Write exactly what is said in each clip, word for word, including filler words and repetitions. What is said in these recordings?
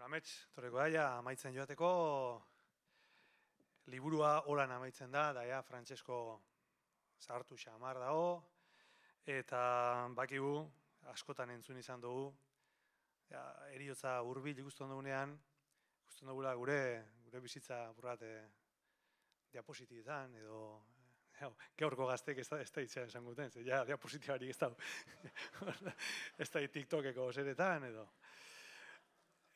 Amets, torreko daia, amaitzen joateko, liburua holan amaitzen da, daia, Frantsesko zahartu xamar dago, eta bakigu, askotan entzun izan dugu, ja, eriotza hurbil ikusten dugunean, ikusten dugula gure, gure bizitza burrat e, diapositibetan, edo gaurko gaztek ez da, ez da itxean esan guten, ze ja, diapositibarik ez da, ez da TikTokeko zeretan, edo.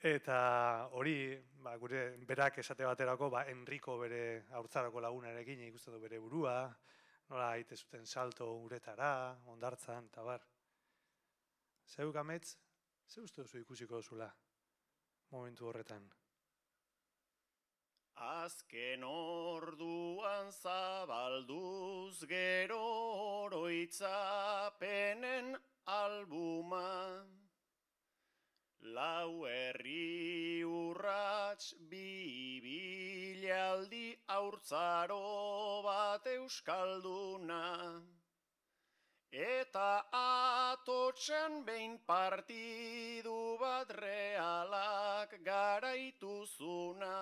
Eta hori, ba, gure berak esate baterako, ba, Enrico bere haurtzarako lagunarekin ikusten du bere burua, nola aite zuten salto uretara, ondartzan, eta bar. Zeuk amets, ze uste duzu ikusiko duzula momentu horretan? Azken orduan zabalduz gero oroitzapenen albuma, lau herri urrats bi bilaldi haurtzaro bat euskalduna, eta atotxan behin partidu bat realak garaituzuna,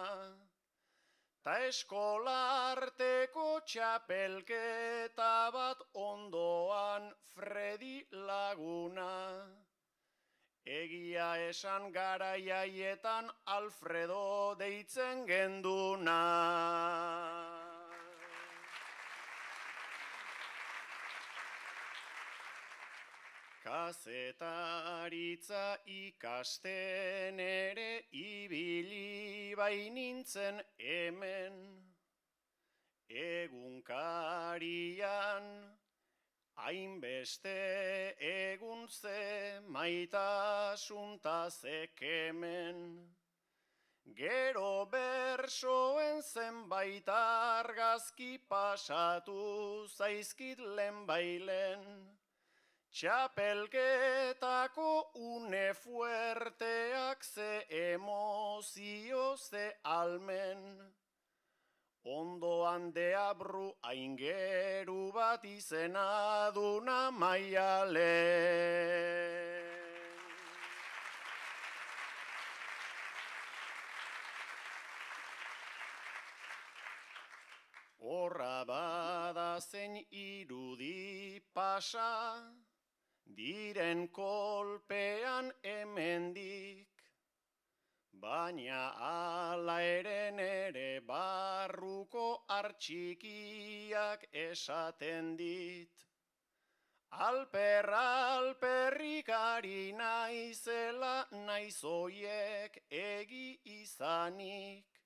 ta eskolarteko txapelketa bat ondoan Fredi laguna. Egia esan garaiaietan Alfredo deitzen genduna. Kazetaritza ikasten ere ibili bainintzen hemen, egunkarian hainbeste egun ze maitasunta zekemen. Gero bersoen zenbait argazki pasatu zaizkit lehenbailen, txapelketako une fuerteak ze emozio ze almen. Ondoan deabru aingeru bat izena duna maialen. Horra bada zein irudi pasa, diren kolpean hemendik, baina ala eren ere barruko artxikiak esaten dit. Alper alperrik ari naizela naiz oiek egi izanik.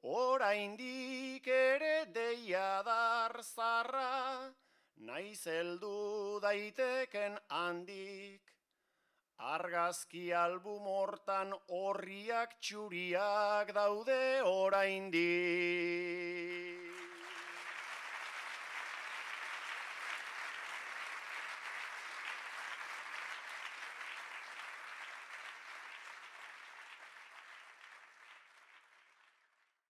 Oraindik ere deia dar zarra, naiz heldu daiteken handik. Argazki album hortan horriak txuriak daude oraindik.